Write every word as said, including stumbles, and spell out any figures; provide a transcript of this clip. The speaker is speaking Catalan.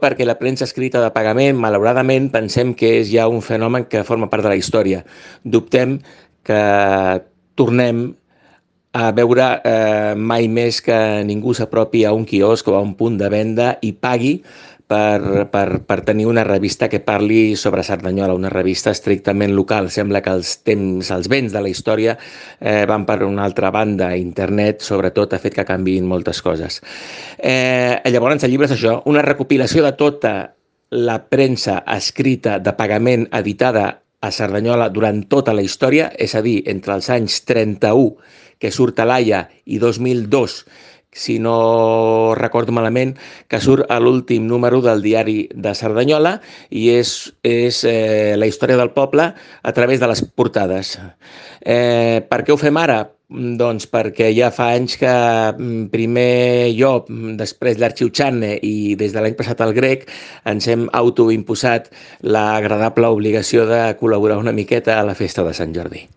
perquè la premsa escrita de pagament, malauradament, pensem que és ja un fenomen que forma part de la història. Dubtem que tornem a veure eh, mai més que ningú s'apropi a un quiosc o a un punt de venda i pagui per, per, per tenir una revista que parli sobre Cerdanyola, una revista estrictament local. Sembla que els temps, els vents de la història eh, van per una altra banda. Internet, sobretot, ha fet que canviïn moltes coses. Eh, llavors, el llibre és això, una recopilació de tota la premsa escrita de pagament editada a Cerdanyola durant tota la història, és a dir, entre els anys trenta-u, que surt a l'Aia, i dos mil dos, si no recordo malament, que surt a l'últim número del diari de Cerdanyola, i és, és eh, la història del poble a través de les portades. Eh, per què ho fem ara? Doncs perquè ja fa anys que primer jo, després l'Arxiu Txanne i des de l'any passat el Grec, ens hem autoimposat l'agradable obligació de col·laborar una miqueta a la festa de Sant Jordi.